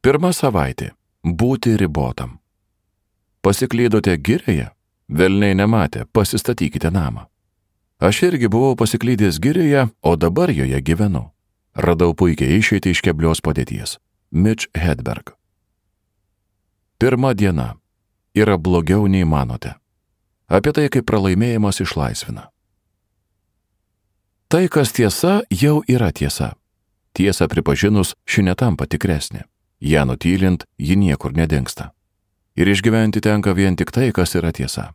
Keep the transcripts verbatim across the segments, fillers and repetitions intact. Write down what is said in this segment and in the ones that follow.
Pirma savaitė – būti ribotam. Pasiklydote girioje? Velniai nematė, pasistatykite namą. Aš irgi buvau pasiklydęs girioje, o dabar joje gyvenu. Radau puikiai išeitį iš keblios padėties. Mitch Hedberg. Pirma diena. Yra blogiau nei manote. Apie tai, kaip pralaimėjimas išlaisvina. Tai, kas tiesa, jau yra tiesa. Tiesą pripažinus, ši netampa tikresnė. Ją nutylint, ji niekur nedingsta. Ir išgyventi tenka vien tik tai, kas yra tiesa.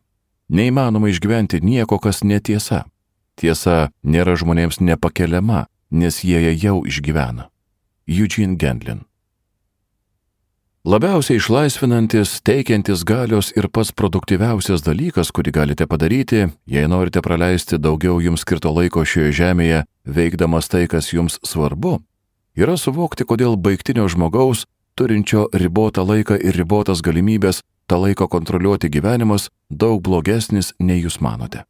Neįmanoma išgyventi nieko, kas netiesa. Tiesa nėra žmonėms nepakeliama, nes jie ją jau išgyvena. Eugene Gendlin. Labiausiai išlaisvinantis, teikiantis galios ir pats produktyviausias dalykas, kurį galite padaryti, jei norite praleisti daugiau jums skirto laiko šioje žemėje, veikdamas tai, kas jums svarbu, yra suvokti, kodėl baigtinio žmogaus, turinčio ribotą laiką ir ribotas galimybės, tą laiką kontroliuoti gyvenimas daug blogesnis, nei jūs manote.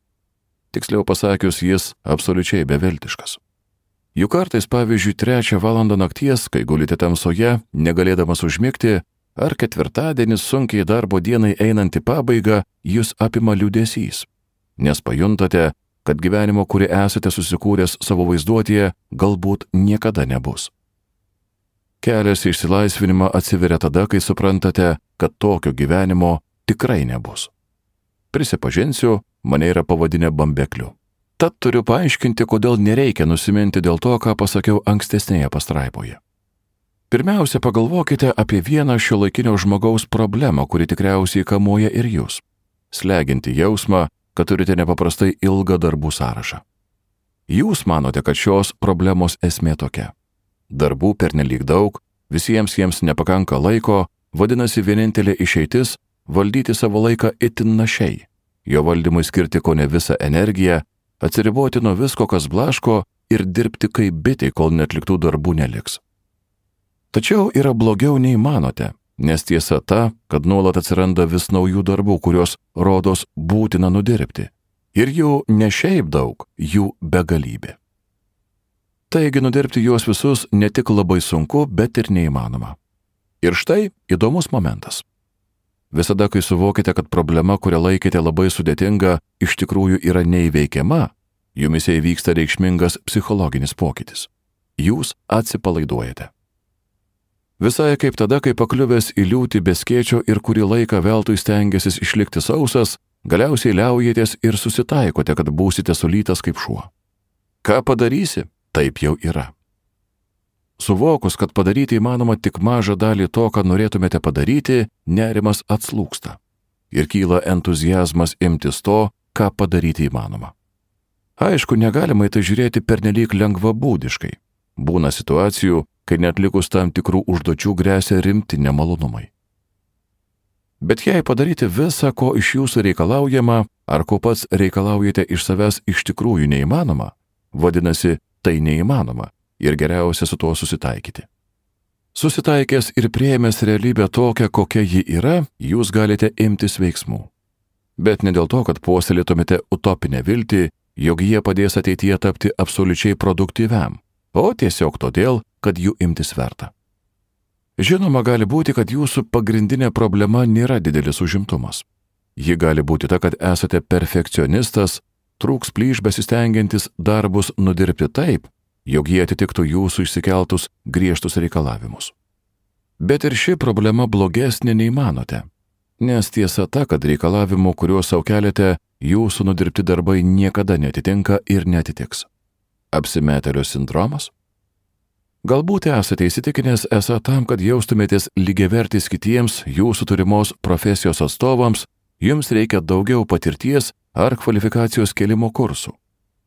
Tiksliau pasakius, jis absoliučiai beviltiškas. Juk kartais, pavyzdžiui, trečią valandą nakties, kai gulite tamsoje, negalėdamas užmigti, ar ketvirtadienis sunkiai darbo dienai einant į pabaigą, jūs apima liūdesys, nes pajuntate, kad gyvenimo, kurį esate susikūręs savo vaizduotėje, galbūt niekada nebus. Kelias į išsilaisvinimą atsiveria tada, kai suprantate, kad tokio gyvenimo tikrai nebus. Prisipažinsiu, mane yra pavadinę bambekliu. Tad turiu paaiškinti, kodėl nereikia nusiminti dėl to, ką pasakiau ankstesnėje pastraipoje. Pirmiausia, pagalvokite apie vieną šiuolaikinio žmogaus problemą, kuri tikriausiai kamuoja ir jūs. Slegianti jausmą, kad turite nepaprastai ilgą darbų sąrašą. Jūs manote, kad šios problemos esmė tokia. Darbų pernelyg daug, visiems jiems nepakanka laiko, vadinasi vienintelė išeitis – valdyti savo laiką itin našiai, jo valdymui skirti kone visą energiją, atsiriboti nuo visko, kas blaško ir dirbti kaip bitė, kol netliktų darbų neliks. Tačiau yra blogiau nei manote, nes tiesa ta, kad nuolat atsiranda vis naujų darbų, kuriuos rodos būtina nudirbti. Ir jų ne šiaip daug, jų begalybė. Taigi nudirbti juos visus ne tik labai sunku, bet ir neįmanoma. Ir štai įdomus momentas. Visada, kai suvokite, kad problema, kurią laikėte labai sudėtinga, iš tikrųjų yra neįveikiama, jumise įvyksta reikšmingas psichologinis pokytis. Jūs atsipalaiduojate. Visai kaip tada, kai pakliuvęs į liūtį be skėčio ir kurį laiką veltui stengiasis išlikti sausas, galiausiai liaujatės ir susitaikote, kad būsite sulytas kaip šuo. Ką padarysi? Taip jau yra. Suvokus, kad padaryti įmanoma tik mažą dalį to, ką norėtumėte padaryti, nerimas atslūgsta. Ir kyla entuziazmas imtis to, ką padaryti įmanoma. Aišku, negalima į tai žiūrėti pernelyg lengvabūdiškai. Būna situacijų, kai neatlikus tam tikrų užduočių gresia rimti nemalonumai. Bet jei padaryti visą, ko iš jūsų reikalaujama, ar ko pats reikalaujate iš savęs iš tikrųjų neįmanoma, vadinasi, tai neįmanoma. Ir geriausia su tuo susitaikyti. Susitaikęs ir priėmęs realybę tokią, kokia ji yra, jūs galite imtis veiksmų. Bet ne dėl to, kad puoselėtumėte utopinę viltį, jog jie padės ateityje tapti absoliučiai produktyviam, o tiesiog todėl, kad jų imtis verta. Žinoma, gali būti, kad jūsų pagrindinė problema nėra didelis užimtumas. Ji gali būti ta, kad esate perfekcionistas, trūks plyš besistengiantis darbus nudirbti taip, jog jie atitiktų jūsų išsikeltus griežtus reikalavimus. Bet ir ši problema blogesnė nei manote, nes tiesa ta, kad reikalavimų, kuriuos sau keliate, jūsų nudirbti darbai niekada netitinka ir netitiks. Apsimetėlio sindromas? Galbūt esate įsitikinęs esą tam, kad jaustumėtės lygiavertis kitiems jūsų turimos profesijos atstovams, jums reikia daugiau patirties ar kvalifikacijos kėlimo kursų.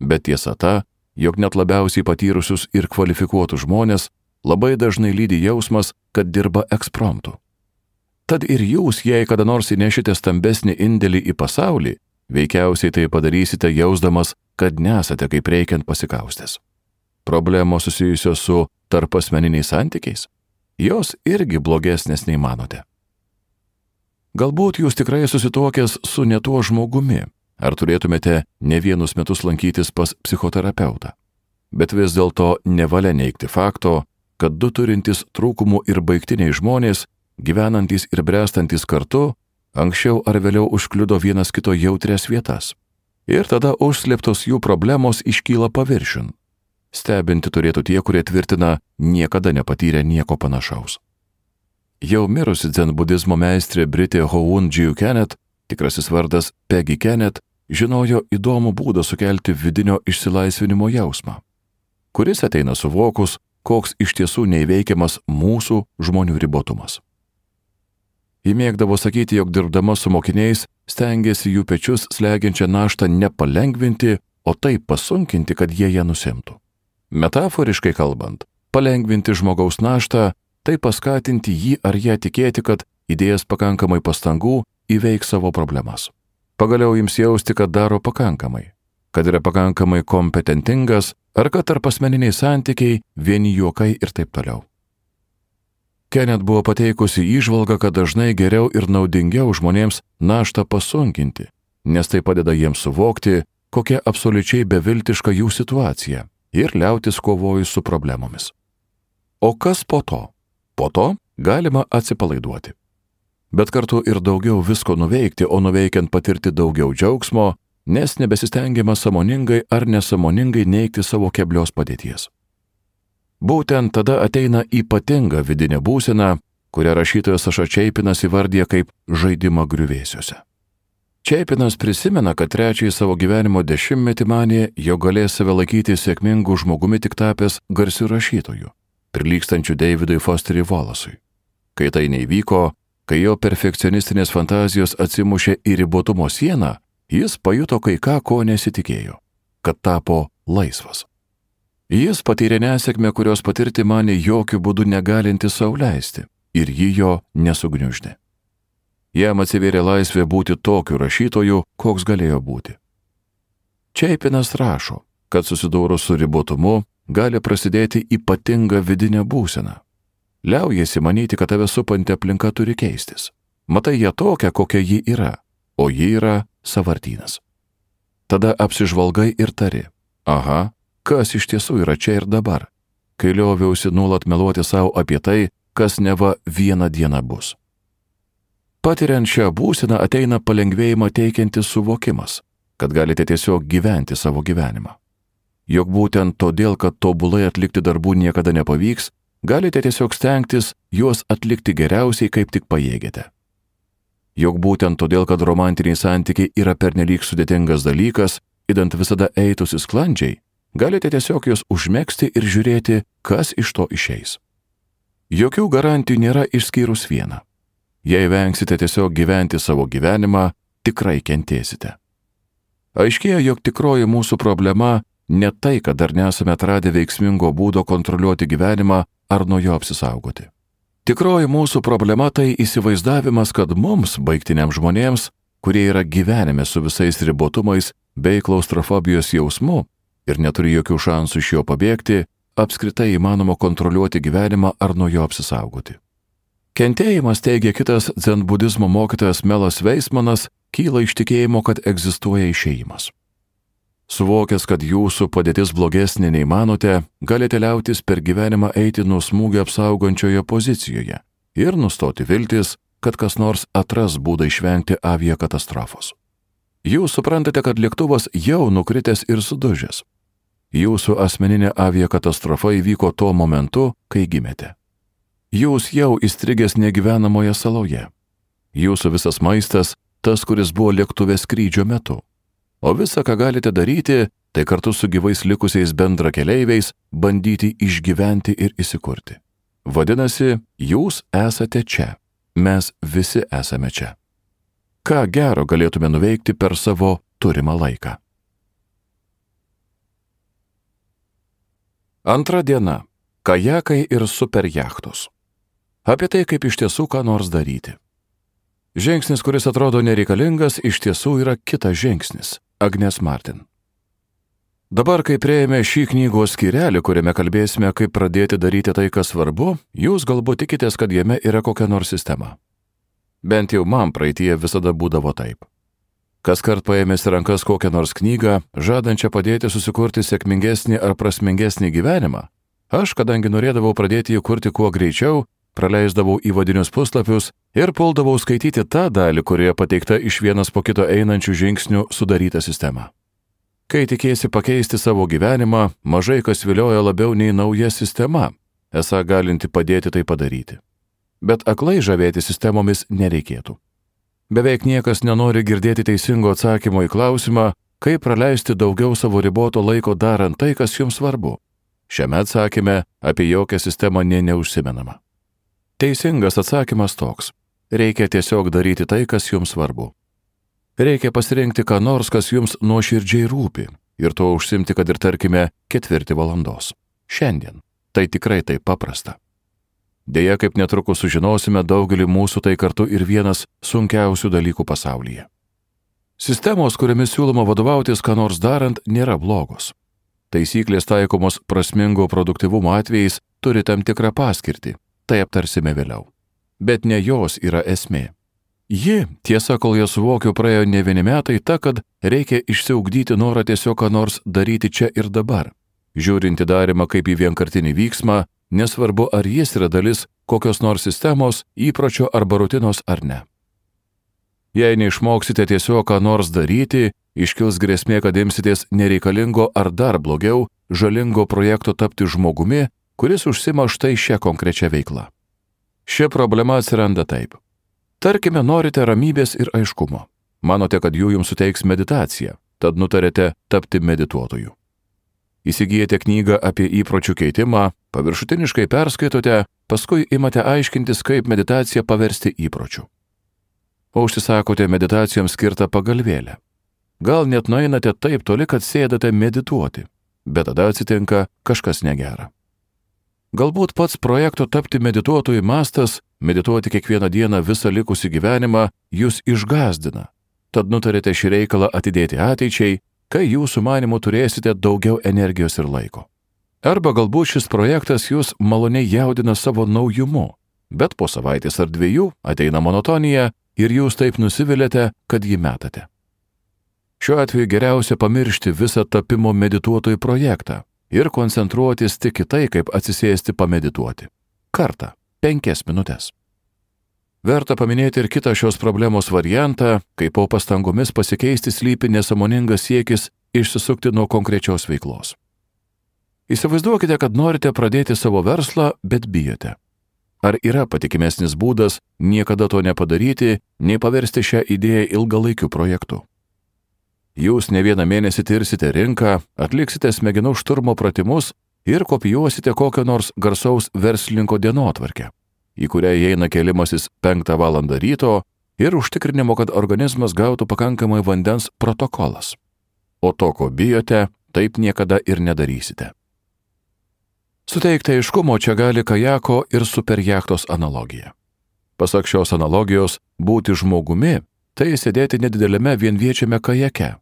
Bet tiesa ta, jog net labiausiai patyrusius ir kvalifikuotus žmonės labai dažnai lydi jausmas, kad dirba ekspromtu. Tad ir jūs, jei kada nors įnešite stambesnį indėlį į pasaulį, veikiausiai tai padarysite jausdamas, kad nesate kaip reikiant pasikaustęs. Problemos susijusios su tarpasmeniniais santykiais, jos irgi blogesnės nei manote. Galbūt jūs tikrai susituokęs su ne tuo žmogumi, ar turėtumėte ne vienus metus lankytis pas psichoterapeutą. Bet vis dėlto nevalia neigti fakto, kad du turintys trūkumų ir baigtiniai žmonės, gyvenantys ir bręstantis kartu, anksčiau ar vėliau užkliudo vienas kito jautrias vietas. Ir tada užslėptos jų problemos iškyla paviršiun. Stebinti turėtų tie, kurie tvirtina, niekada nepatyrę nieko panašaus. Jau mirusi dzenbudizmo meistrė Britė Houn Džiu Kenet, tikrasis vardas Peggy Kenet, žinojo įdomų būdą sukelti vidinio išsilaisvinimo jausmą, kuris ateina suvokus, koks iš tiesų neįveikiamas mūsų žmonių ribotumas. Ji mėgdavo sakyti, jog dirbdama su mokiniais stengiasi jų pečius slegiančią naštą nepalengvinti, o taip pasunkinti, kad jie ją nusimtų. Metaforiškai kalbant, palengvinti žmogaus naštą, tai paskatinti jį ar ją tikėti, kad įdėjęs pakankamai pastangų įveiks savo problemas. Pagaliau jums jausti, kad daro pakankamai, kad yra pakankamai kompetentingas, ar kad tarpasmeniniai santykiai, vieni juokai ir taip toliau. Kenet buvo pateikusi įžvalgą, kad dažnai geriau ir naudingiau žmonėms naštą pasunkinti, nes tai padeda jiems suvokti, kokia absoliučiai beviltiška jų situacija ir liautis kovojus su problemomis. O kas po to? Po to galima atsipalaiduoti. Bet kartu ir daugiau visko nuveikti, o nuveikiant patirti daugiau džiaugsmo, nes nebesistengiama sąmoningai ar nesąmoningai neigti savo keblios padėties. Būtent tada ateina ypatinga vidinė būsena, kurią rašytojas Saša Čeipinas įvardija kaip žaidimą griuvėsiuose. Čeipinas prisimena, kad trečiąjį savo gyvenimo dešimtmetį manė, jog galės save laikyti sėkmingu žmogumi tik tapęs garsiu rašytoju, prilygstančiu Davidui Fosteriui Wallace'ui. Kai tai neįvyko, kai jo perfekcionistinės fantazijos atsimušė į ribotumo sieną, jis pajuto kai ką, ko nesitikėjo, kad tapo laisvas. Jis patyrė nesėkmę, kurios patirti manė jokių būdų negalinti sau leisti, ir ji jo nesugniuždė. Jam atsivėrė laisvė būti tokiu rašytoju, koks galėjo būti. Čeipinas rašo, kad susidūrus su ribotumu gali prasidėti ypatinga vidinė būsena. Liaujasi manyti, kad tave supanti aplinka turi keistis. Matai ją tokią, kokia ji yra, o ji yra sąvartynas. Tada apsižvalgai ir tari, aha, kas iš tiesų yra čia ir dabar, kai lioviausi nuolat meluoti savo apie tai, kas neva vieną dieną bus. Patiriant šią būseną ateina palengvėjimą teikiantis suvokimas, kad galite tiesiog gyventi savo gyvenimą. Jog būtent todėl, kad tobulai atlikti darbų niekada nepavyks, galite tiesiog stengtis juos atlikti geriausiai, kaip tik pajėgėte. Jog būtent todėl, kad romantiniai santykiai yra pernelyg sudėtingas dalykas, idant visada eitųsi sklandžiai, galite tiesiog juos užmegzti ir žiūrėti, kas iš to išeis. Jokių garantijų nėra išskyrus vieną. Jei vengsite tiesiog gyventi savo gyvenimą, tikrai kentėsite. Aiškėja, jog tikroji mūsų problema ne tai, kad dar nesame atradę veiksmingo būdo kontroliuoti gyvenimą ar nuo jo apsisaugoti. Tikroji mūsų problema tai įsivaizdavimas, kad mums, baigtiniams žmonėms, kurie yra gyvenime su visais ribotumais bei klaustrofobijos jausmu ir neturi jokių šansų iš jo pabėgti, apskritai įmanoma kontroliuoti gyvenimą ar nuo jo apsisaugoti. Kentėjimas, teigia kitas dzenbudizmo mokytojas Melas Veismanas, kyla iš tikėjimo, kad egzistuoja išėjimas. Suvokęs, kad jūsų padėtis blogesnė nei manote, galite liautis per gyvenimą eiti nuo smūgio apsaugančioje pozicijoje ir nustoti viltis, kad kas nors atras būdą išvengti aviakatastrofos. Jūs suprantate, kad lėktuvas jau nukritęs ir sudužęs. Jūsų asmeninė aviakatastrofa įvyko tuo momentu, kai gimėte. Jūs jau įstrigęs negyvenamoje saloje. Jūsų visas maistas, tas, kuris buvo lėktuve skrydžio metu. O visa, ką galite daryti, tai kartu su gyvais likusiais bendrakeleiviais bandyti išgyventi ir įsikurti. Vadinasi, jūs esate čia. Mes visi esame čia. Ką gero galėtume nuveikti per savo turimą laiką? Antra diena. Kajakai ir superjachtos. Apie tai, kaip iš tiesų ką nors daryti. Žingsnis, kuris atrodo nereikalingas, iš tiesų yra kitas žingsnis. Agnes Martin. Dabar, kai prieėmė šį knygos skyrelį, kuriame kalbėsime, kaip pradėti daryti tai, kas svarbu, jūs galbūt tikitės, kad jame yra kokia nors sistema. Bent jau man praeityje visada būdavo taip. Kaskart paėmęs į rankas kokią nors knygą, žadančią padėti susikurti sėkmingesnį ar prasmingesnį gyvenimą, Aš, kadangi norėdavau pradėti jį kurti kuo greičiau, praleisdavau įvadinius puslapius ir puldavau skaityti tą dalį, kurioje pateikta iš vienas po kito einančių žingsnių sudaryta sistema. Kai tikėsi pakeisti savo gyvenimą, mažai kas vilioja labiau nei nauja sistema, esą galinti padėti tai padaryti. Bet aklai žavėti sistemomis nereikėtų. Beveik niekas nenori girdėti teisingo atsakymo į klausimą, kaip praleisti daugiau savo riboto laiko darant tai, kas jums svarbu. Šiame atsakyme apie jokią sistemą nė neužsimenama. Teisingas atsakymas toks. Reikia tiesiog daryti tai, kas jums svarbu. Reikia pasirinkti ką nors, kas jums nuoširdžiai rūpi, ir to užsimti, kad ir tarkime ketvirtį valandos. Šiandien. Tai tikrai taip paprasta. Deja, kaip netrukus sužinosime, daugelį mūsų tai kartu ir vienas sunkiausių dalykų pasaulyje. Sistemos, kuriamis siūloma vadovautis ką nors darant, nėra blogos. Taisyklės taikomos prasmingo produktyvumo atvejais turi tam tikrą paskirtį, tai aptarsime vėliau. Bet ne jos yra esmė. Ji, tiesa, kol ją suvokiu, praėjo ne vieni metai, ta, kad reikia išsiugdyti norą tiesiog ką nors daryti čia ir dabar. Žiūrinti darimą kaip į vienkartinį vyksmą, nesvarbu ar jis yra dalis kokios nors sistemos, įpročio arba rutinos ar ne. Jei neišmoksite tiesiog ką nors daryti, iškils grėsmė, kad imsitės nereikalingo ar dar blogiau, žalingo projekto tapti žmogumi, kuris užsima štai šią konkrečią veiklą. Ši problema atsiranda taip. Tarkime, norite ramybės ir aiškumo. Manote, kad jų jums suteiks meditacija, tad nutarėte tapti medituotoju. Įsigijate knygą apie įpročių keitimą, paviršutiniškai perskaitote, paskui imate aiškintis, kaip meditaciją paversti įpročiu. O užsisakote meditacijoms skirtą pagalvėlę. Gal net nueinate taip toli, kad sėdate medituoti, bet tada atsitinka kažkas negera. Galbūt pats projekto tapti medituotojui mastas, medituoti kiekvieną dieną visą likusį gyvenimą, jūs išgąsdina, tad nutarėte šį reikalą atidėti ateičiai, kai jūsų manymu turėsite daugiau energijos ir laiko. Arba galbūt šis projektas jūs maloniai jaudina savo naujumu, bet po savaitės ar dviejų ateina monotonija ir jūs taip nusiviliate, kad jį metate. Šiuo atveju geriausia pamiršti visą tapimo medituotojų projektą ir koncentruotis tik į tai, kaip atsisėsti pamedituoti. Kartą, penkias minutės. Verta paminėti ir kitą šios problemos variantą, kai po pastangomis pasikeisti slypi nesąmoningas siekis išsisukti nuo konkrečios veiklos. Įsivaizduokite, kad norite pradėti savo verslą, bet bijote. Ar yra patikimesnis būdas niekada to nepadaryti, nei paversti šią idėją ilgalaikiu projektu? Jūs ne vieną mėnesį tirsite rinką, atliksite smegenų šturmo pratimus ir kopijuosite kokio nors garsaus verslininko dienotvarkę, į kurią įeina kėlimasis penktą valandą ryto ir užtikrinimo, kad organizmas gautų pakankamai vandens protokolas. O to, ko bijote, taip niekada ir nedarysite. Suteikti aiškumo čia gali kajako ir superjachtos analogija. Pasak šios analogijos, būti žmogumi – tai sėdėti nedidelėme vienviečiame kajake,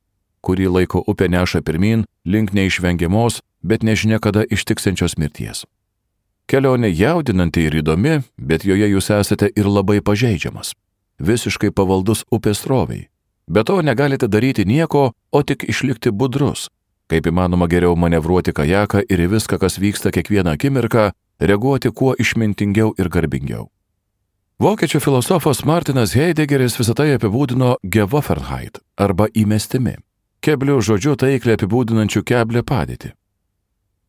kurį laiko upė neša pirmin link neišvengiamos, bet nežinia kada ištiksiančios mirties. Kelionė jaudinanti ir įdomi, bet joje jūs esate ir labai pažeidžiamas, visiškai pavaldus upės sroviai. Be to negalite daryti nieko, o tik išlikti budrus, kaip įmanoma geriau manevruoti kajaką ir į viską, kas vyksta kiekvieną akimirką, reaguoti kuo išmintingiau ir garbingiau. Vokiečių filosofas Martinas Heideggeris visą tai apibūdino Geworfenheit arba įmestimi, keblių žodžių taikliai apibūdinančių keblią padėtį.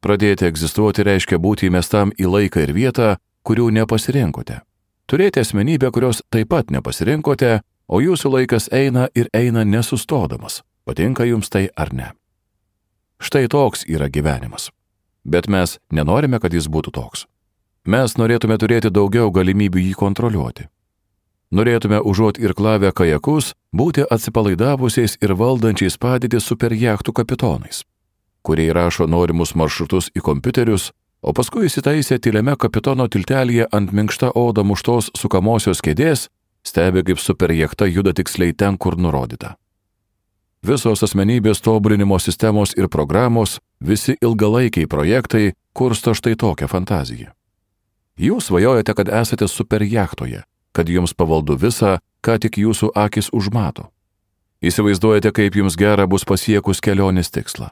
Pradėti egzistuoti reiškia būti įmestam į laiką ir vietą, kurių nepasirinkote. Turėti asmenybę, kurios taip pat nepasirinkote, o jūsų laikas eina ir eina nesustodamas, patinka jums tai ar ne. Štai toks yra gyvenimas. Bet mes nenorime, kad jis būtų toks. Mes norėtume turėti daugiau galimybių jį kontroliuoti. Norėtume užuot irklavę kajakus, būti atsipalaidavusiais ir valdančiais padėtį superjachtų kapitonais, kurie įrašo norimus maršrutus į kompiuterius, o paskui įsitaisę tyliame kapitono tiltelyje ant minkšta oda muštos sukamosios kėdės, stebi, kaip superjachta juda tiksliai ten, kur nurodyta. Visos asmenybės tobulinimo sistemos ir programos, visi ilgalaikiai projektai kursto štai tokią fantaziją. Jūs svajojate, kad esate superjachtoje, kad jums pavaldu visa, ką tik jūsų akis užmato. Įsivaizduojate, kaip jums gera bus pasiekus kelionės tikslą.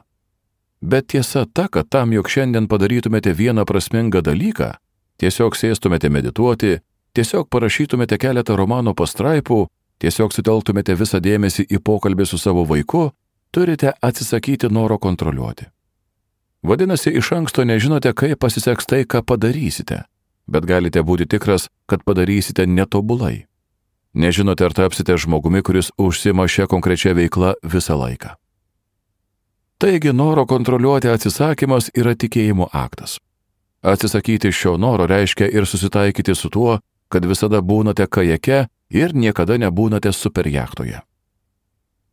Bet tiesa ta, kad tam, jog šiandien padarytumėte vieną prasmingą dalyką, tiesiog sėstumėte medituoti, tiesiog parašytumėte keletą romano pastraipų, tiesiog sutelktumėte visą dėmesį į pokalbį su savo vaiku, turite atsisakyti noro kontroliuoti. Vadinasi, iš anksto nežinote, kaip pasiseks tai, ką padarysite, bet galite būti tikras, kad padarysite netobulai. Nežinote, ar tapsite žmogumi, kuris užsima šią konkrečią veiklą visą laiką. Taigi, noro kontroliuoti atsisakymas yra tikėjimo aktas. Atsisakyti šio noro reiškia ir susitaikyti su tuo, kad visada būnate kajake ir niekada nebūnate superjachtoje.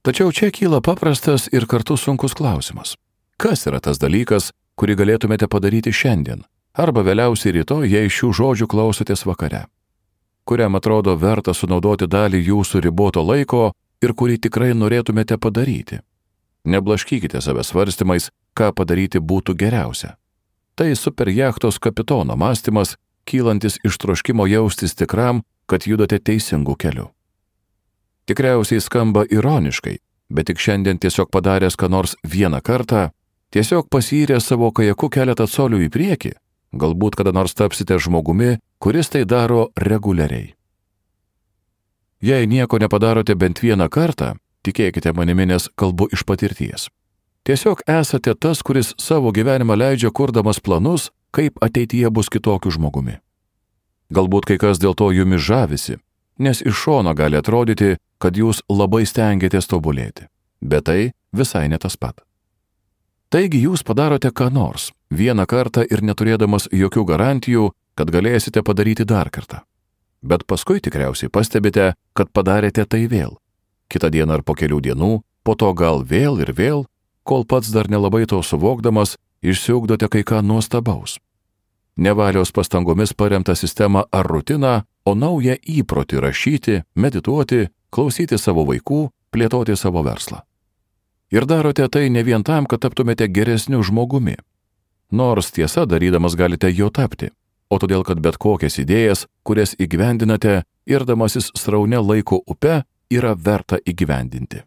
Tačiau čia kyla paprastas ir kartu sunkus klausimas. Kas yra tas dalykas, kurį galėtumėte padaryti šiandien, arba vėliausiai rytoj, jei šių žodžių klausotės vakare, kuriam atrodo verta sunaudoti dalį jūsų riboto laiko ir kurį tikrai norėtumėte padaryti? Neblaškykite save svarstymais, ką padaryti būtų geriausia. Tai superjachtos kapitono mąstymas, kylantis iš troškimo jaustis tikram, kad judate teisingų kelių. Tikriausiai skamba ironiškai, bet tik šiandien tiesiog padaręs ką nors vieną kartą, tiesiog pasyręs savo kajaku keletą colių į priekį, galbūt kada nors tapsite žmogumi, kuris tai daro reguliariai. Jei nieko nepadarote bent vieną kartą, tikėkite manimi, nes kalbu iš patirties. Tiesiog esate tas, kuris savo gyvenimą leidžia kurdamas planus, kaip ateityje bus kitokiu žmogumi. Galbūt kai kas dėl to jumis žavisi, nes iš šono gali atrodyti, kad jūs labai stengiatės tobulėti, bet tai visai ne tas pat. Taigi jūs padarote ką nors, vieną kartą ir neturėdamas jokių garantijų, kad galėsite padaryti dar kartą. Bet paskui tikriausiai pastebite, kad padarėte tai vėl. Kitą dieną ar po kelių dienų, po to gal vėl ir vėl, kol pats dar nelabai to suvokdamas, išsiugdote kai ką nuostabaus. Nevalios pastangomis paremtą sistemą ar rutiną, o naują įprotį rašyti, medituoti, klausyti savo vaikų, plėtoti savo verslą. Ir darote tai ne vien tam, kad taptumėte geresniu žmogumi. Nors tiesa, darydamas galite jo tapti, o todėl, kad bet kokias idėjas, kurias įgyvendinate, irdamasis sraune laiko upe, yra verta įgyvendinti.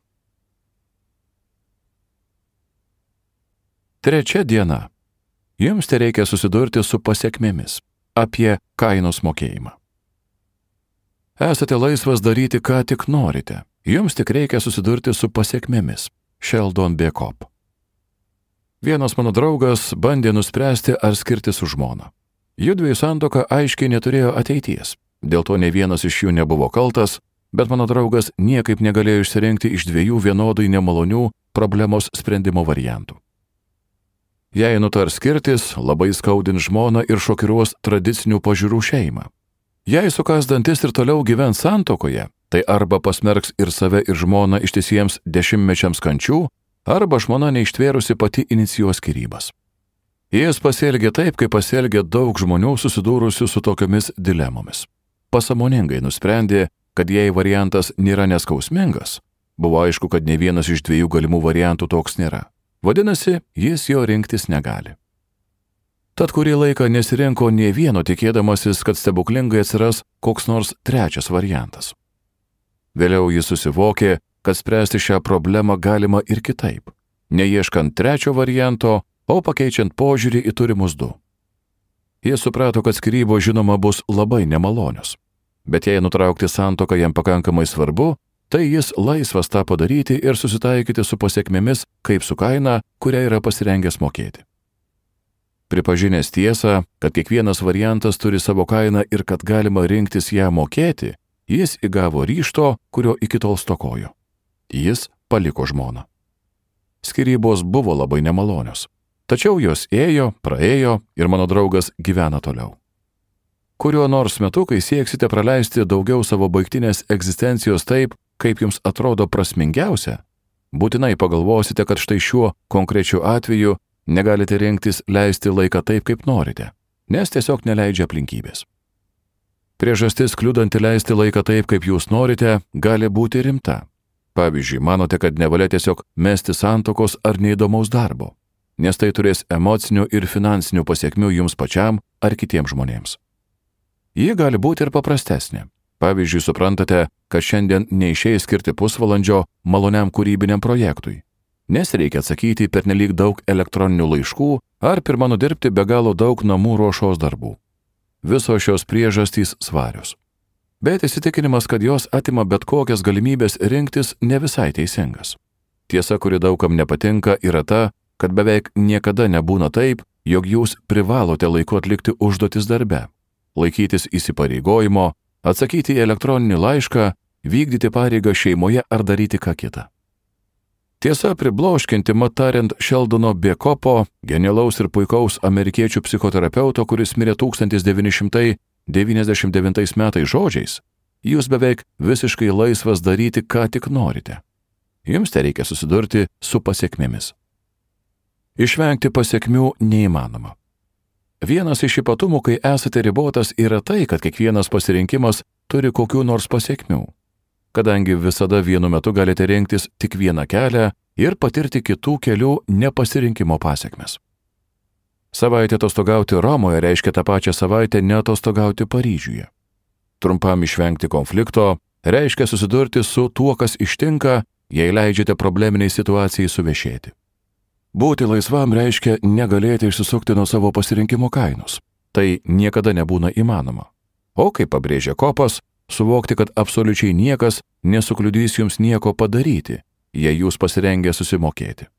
Trečia diena. Jums tereikia susidurti su pasekmėmis apie kainos mokėjimą. Esate laisvas daryti, ką tik norite. Jums tik reikia susidurti su pasekmėmis. Sheldon B. Kopp. Vienas mano draugas bandė nuspręsti, ar skirtis su žmona. Judviejų santuoka aiškiai neturėjo ateities. Dėl to ne vienas iš jų nebuvo kaltas, bet mano draugas niekaip negalėjo išsirinkti iš dviejų vienodai nemalonių problemos sprendimo variantų. Jei nutars skirtis, labai skaudins žmoną ir šokiruos tradicinių pažiūrų šeimą. Jei sukas dantis ir toliau gyvens santuokoje, tai arba pasmerks ir save ir žmoną ištisiems dešimtmečiams kančių, arba žmona neištvėrusi pati inicijuos skyrybas. Jis pasielgė taip, kaip pasielgė daug žmonių susidūrusių su tokiomis dilemomis. Pasąmoningai nusprendė, kad jei variantas nėra neskausmingas, buvo aišku, kad ne vienas iš dviejų galimų variantų toks nėra. Vadinasi, jis jo rinktis negali. Tad kurį laiką nesirinko nė vieno, tikėdamasis, kad stebuklingai atsiras koks nors trečias variantas. Vėliau jis susivokė, kad spręsti šią problemą galima ir kitaip, neieškant trečio varianto, o pakeičiant požiūrį į turimus du. Jis suprato, kad skyrybos žinoma bus labai nemalonios, bet jei nutraukti santuoką jam pakankamai svarbu, tai jis laisvas tą padaryti ir susitaikyti su pasekmėmis, kaip su kaina, kurią yra pasirengęs mokėti. Pripažinęs tiesą, kad kiekvienas variantas turi savo kainą ir kad galima rinktis ją mokėti, jis įgavo ryžto, kurio iki tol stokojo. Jis paliko žmoną. Skyrybos buvo labai nemalonios, tačiau jos ėjo, praėjo ir mano draugas gyvena toliau. Kuriuo nors metu, kai sieksite praleisti daugiau savo baigtinės egzistencijos taip, kaip jums atrodo prasmingiausia, būtinai pagalvosite, kad štai šiuo konkrečiu atveju negalite rinktis leisti laiką taip, kaip norite, nes tiesiog neleidžia aplinkybės. Priežastis kliudanti leisti laiką taip, kaip jūs norite, gali būti rimta. Pavyzdžiui, manote, kad nevalia tiesiog mesti santuokos ar neįdomaus darbo, nes tai turės emocinių ir finansinių pasiekmių jums pačiam ar kitiems žmonėms. Ji gali būti ir paprastesnė. Pavyzdžiui, suprantate, kad šiandien neišeis skirti pusvalandžio maloniam kūrybiniam projektui. nes reikia atsakyti pernelyg daug elektroninių laiškų ar pirma nudirbti be galo daug namų ruošos darbų. Visos šios priežastys svarios. Bet įsitikinimas, kad jos atima bet kokias galimybės rinktis, ne visai teisingas. Tiesa, kuri daugam nepatinka, yra ta, kad beveik niekada nebūna taip, jog jūs privalote laiku atlikti užduotis darbe, laikytis įsipareigojimo, atsakyti į elektroninį laišką, vykdyti pareigą šeimoje ar daryti ką kitą. Tiesa, pribloškinti, mat tariant Šeldono Biekopo, genialaus ir puikaus amerikiečių psichoterapeuto, kuris mirė tūkstantis devyni šimtai devyniasdešimt devintais metais žodžiais, jūs beveik visiškai laisvas daryti, ką tik norite. Jums tereikia susidurti su pasiekmėmis. Išvengti pasiekmių neįmanoma. Vienas iš ypatumų, kai esate ribotas, yra tai, kad kiekvienas pasirinkimas turi kokių nors pasiekmių, kadangi visada vienu metu galite rinktis tik vieną kelią ir patirti kitų kelių nepasirinkimo pasiekmes. Savaitę atostogauti Romoje reiškia tą pačią savaitę neatostogauti Paryžiuje. Trumpam išvengti konflikto reiškia susidurti su tuo, kas ištinka, jei leidžiate probleminiai situacijai suvešėti. Būti laisvam reiškia negalėti išsisukti nuo savo pasirinkimo kainos. Tai niekada nebūna įmanoma. O kaip pabrėžia Kopas, suvokti, kad absoliučiai niekas nesukliudys jums nieko padaryti, jei jūs pasirengę susimokėti.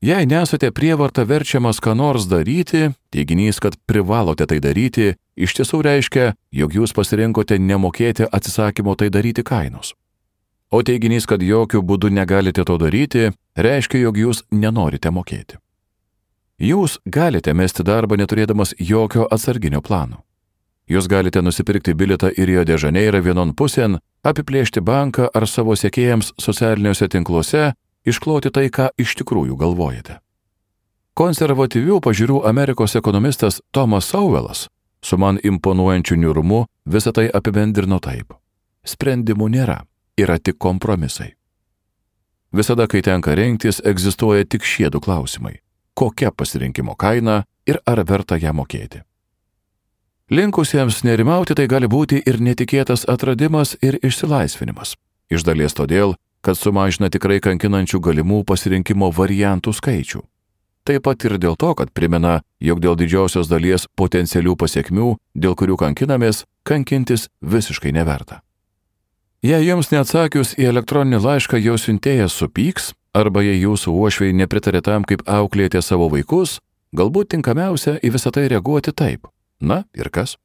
Jei nesate prievarta verčiamas ką nors daryti, teiginys, kad privalote tai daryti, iš tiesų reiškia, jog jūs pasirinkote nemokėti atsisakymo tai daryti kainos. O teiginys, kad jokių būdų negalite to daryti, reiškia, jog jūs nenorite mokėti. Jūs galite mesti darbą neturėdamas jokio atsarginio plano. Jūs galite nusipirkti bilietą į Rio de Žaneirą vienon pusėn, apiplėšti banką ar savo sekėjams socialiniuose tinkluose, iškloti tai, ką iš tikrųjų galvojate. Konservatyvių pažiūrų Amerikos ekonomistas Thomas Sowellas su man imponuojančiu niūrumu visą tai apibendrino taip. Sprendimų nėra, yra tik kompromisai. Visada, kai tenka rinktis, egzistuoja tik šie du klausimai. Kokia pasirinkimo kaina ir ar verta ją mokėti? Linkusiems nerimauti tai gali būti ir netikėtas atradimas ir išsilaisvinimas. Iš dalies todėl, kad sumažina tikrai kankinančių galimų pasirinkimo variantų skaičių. Taip pat ir dėl to, kad primena, jog dėl didžiosios dalies potencialių pasiekmių, dėl kurių kankinamės, kankintis visiškai neverta. Jei jums neatsakius į elektroninį laišką jo siuntėjas supyks, arba jei jūsų uošviai nepritarė tam, kaip auklėjate savo vaikus, galbūt tinkamiausia į visą tai reaguoti taip. Na ir kas?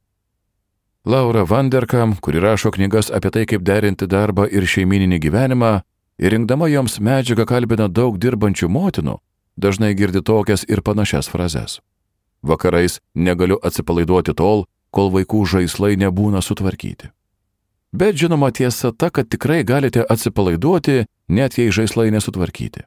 Laura Vanderkam, kuri rašo knygas apie tai, kaip derinti darbą ir šeimyninį gyvenimą, ir rinkdama joms medžiagą kalbina daug dirbančių motinų, dažnai girdi tokias ir panašias frazes. Vakarais negaliu atsipalaiduoti tol, kol vaikų žaislai nebūna sutvarkyti. Bet žinoma tiesa ta, kad tikrai galite atsipalaiduoti, net jei žaislai nesutvarkyti.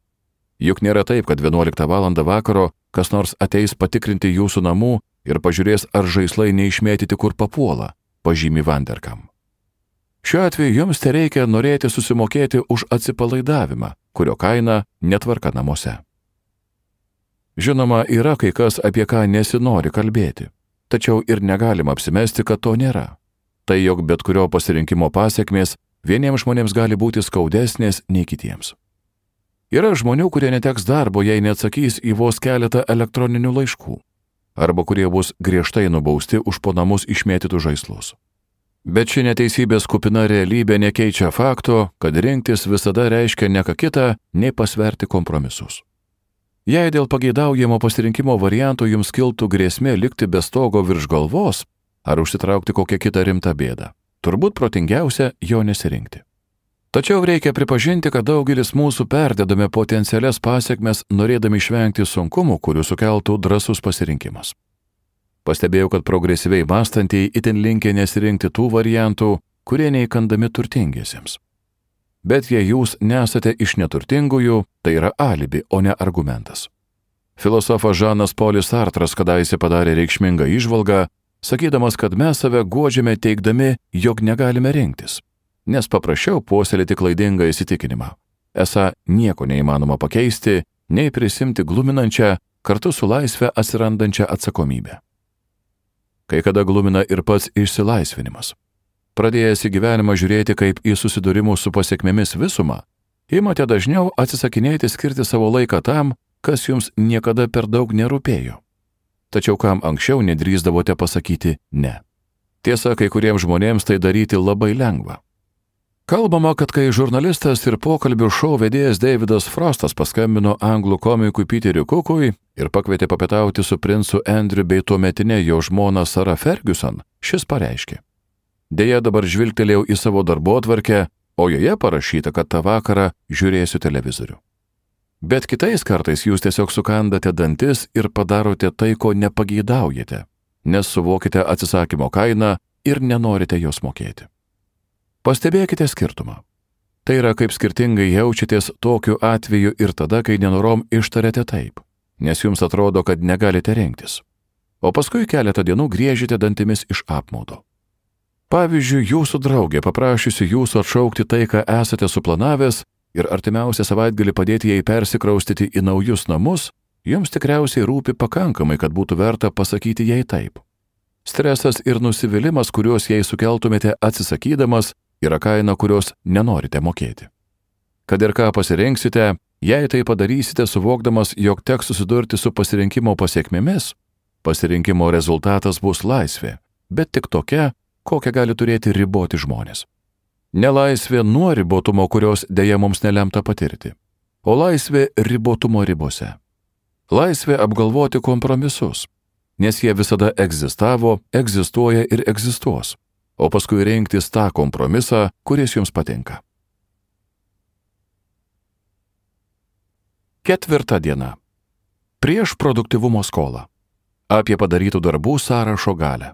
Juk nėra taip, kad vienuoliktą valandą vakaro kas nors ateis patikrinti jūsų namų ir pažiūrės, ar žaislai neišmėtyti kur papuola, pažymi Vanderkam. Šiuo atveju jums tereikia norėti susimokėti už atsipalaidavimą, kurio kaina netvarka namuose. Žinoma, yra kai kas, apie ką nesinori kalbėti, tačiau ir negalima apsimesti, kad to nėra. Tai jog bet kurio pasirinkimo pasiekmės vieniems žmonėms gali būti skaudesnės nei kitiems. Yra žmonių, kurie neteks darbo, jei neatsakys į vos keletą elektroninių laiškų, arba kurie bus griežtai nubausti už po namus išmėtytus žaislus. Bet ši neteisybės kupina realybė nekeičia fakto, kad rinktis visada reiškia ne ką kitą, nei pasverti kompromisus. Jei dėl pageidaujamo pasirinkimo variantų jums kiltų grėsmė likti be stogo virš galvos ar užsitraukti kokią kitą rimtą bėdą, turbūt protingiausia jo nesirinkti. Tačiau reikia pripažinti, kad daugelis mūsų perdedame potencialias pasiekmes, norėdami išvengti sunkumų, kurių sukeltų drąsus pasirinkimas. Pastebėjau, kad progresyviai mąstantieji itin linkę nesirinkti tų variantų, kurie neįkandami turtingiesiems. Bet jei jūs nesate iš neturtingųjų, tai yra alibi, o ne argumentas. Filosofas Žanas Polis Sartras kadaise padarė reikšmingą įžvalgą, sakydamas, kad mes save guodžiame teigdami, jog negalime rinktis, nes paprasčiau puoselėti klaidingą įsitikinimą. Esą nieko neįmanoma pakeisti, nei prisimti gluminančią, kartu su laisve atsirandančią atsakomybę. Kai kada glumina ir pats išsilaisvinimas. Pradėjęs į gyvenimą žiūrėti kaip į susidūrimų su pasiekmėmis visumą, Imate dažniau atsisakinėti skirti savo laiką tam, kas jums niekada per daug nerūpėjo. Tačiau kam anksčiau nedrįsdavote pasakyti ne. Tiesa, kai kuriems žmonėms tai daryti labai lengva. Kalbama, kad kai žurnalistas ir pokalbių šou vedėjas Davidas Frostas paskambino anglų komikui Peteriui Cookui ir pakvietė papietauti su princu Andrew bei tuometinė jo žmona Sarah Ferguson, šis pareiškė: Deja, dabar žvilgtelėjau į savo darbotvarkę, o joje parašyta, kad tą vakarą žiūrėsiu televizorių. Bet kitais kartais jūs tiesiog sukandate dantis ir padarote tai, ko nepageidaujate, nes suvokite atsisakymo kainą ir nenorite jos mokėti. Pastebėkite skirtumą. Tai yra, kaip skirtingai jaučiatės tokiu atveju ir tada, kai nenorom ištariate taip, nes jums atrodo, kad negalite rengtis. O paskui keletą dienų griežite dantimis iš apmaudo. Pavyzdžiui, jūsų draugė paprašysi jūsų atšaukti tai, ką esate suplanavęs ir artimiausią savaitgalį padėti jai persikraustyti į naujus namus, jums tikriausiai rūpi pakankamai, kad būtų verta pasakyti jai taip. Stresas ir nusivylimas, kuriuos jai sukeltumėte atsisakydamas, yra kaina, kurios nenorite mokėti. Kad ir ką pasirinksite, jei tai padarysite suvokdamas, jog teks susidurti su pasirinkimo pasiekmėmis, pasirinkimo rezultatas bus laisvė, bet tik tokia, kokią gali turėti riboti žmonės. Nelaisvė nuo ribotumo, kurios dėja mums nelemta patirti, o laisvė ribotumo ribose. Laisvė apgalvoti kompromisus, nes jie visada egzistavo, egzistuoja ir egzistuos, o paskui rinktis tą kompromisą, kuris jums patinka. Ketvirta diena. Prieš produktyvumo skolą. Apie padarytų darbų sąrašo galią.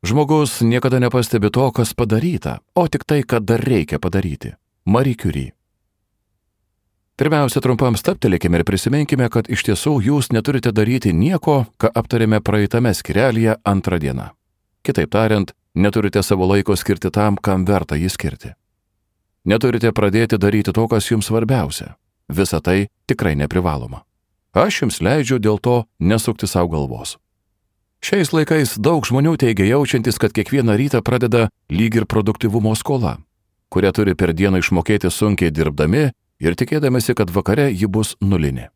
Žmogus niekada nepastebi to, kas padaryta, o tik tai, kad dar reikia padaryti. Marie Curie. Pirmiausia, trumpam stabtelėkime ir prisiminkime, kad iš tiesų jūs neturite daryti nieko, ką aptarėme praeitame skyrelyje antrą dieną. Kitaip tariant, neturite savo laiko skirti tam, kam verta jį skirti. Neturite pradėti daryti to, kas jums svarbiausia. Visa tai tikrai neprivaloma. Aš jums leidžiu dėl to nesukti savo galvos. Šiais laikais daug žmonių teigia jaučiantis, kad kiekvieną rytą pradeda lyg ir produktyvumo skola, kurią turi per dieną išmokėti sunkiai dirbdami ir tikėdamasi, kad vakare ji bus nulinė.